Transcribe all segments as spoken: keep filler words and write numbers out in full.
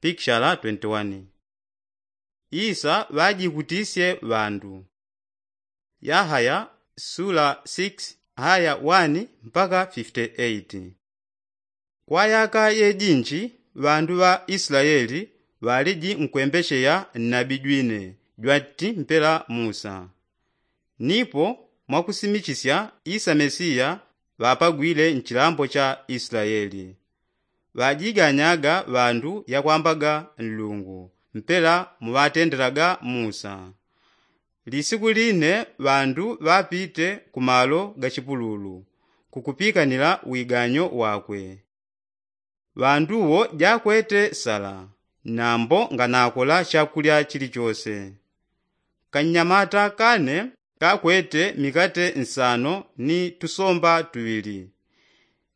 Pikishala twenty-one. Isa ŵajikutisye ŵandu. Yahaya sula six, aya one mpaka fifty-eight. Kwa yaka yejinji ŵandu ŵa islaeli ŵaliji nkwembesheya nnabi jwine jwati mpela musa. Nipo mwakusimichisya isa mesiya ŵapagwile nchilambo cha islaeli. Ŵajiganyaga ŵandu yakwambaga nlungu mpela muŵatendelaga musa. Lisiku line ŵandu ŵapite kumalo ga chipululu kukupikanila wiganyo wakwe. Ŵandu wo jakwete sala nambo nganakola chakulya chilichose. Kannyamata kane kakwete mikate nsano ni tusomba tuŵili.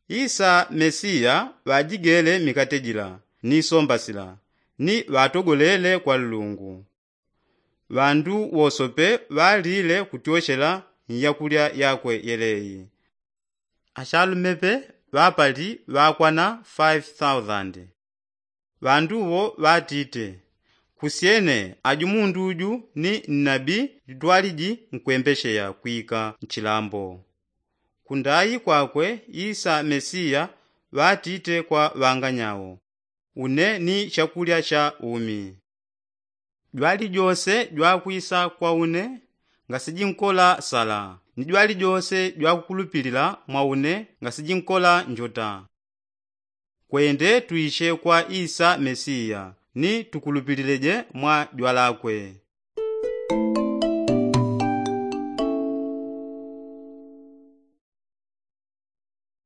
Isa mesiya ŵajigele mikate jila ni somba sila ni ŵatogolele kwa nlungu. Ŵandu wosope ŵalile kutyochela nyakulya yakwe yeleyi. Achalumepe ŵapali ŵakwana five thousand. Ŵandu wo ŵatite, kusyene aju mundu uju ni nnabi jwaliji nkwembesheya kwika nchilambo. Kundayi kwakwe isa mesiya ŵatite kwa ŵanganyawo, une ni chakulya cha umi. Jwalijose jwakwisa kwa une ngasijinkola sala ni jwalijose jwakukulupilila mwa une ngasijinkola njota. Kwende twiche kwa isa mesiya ni tukulupilileje mwa jwalakwe.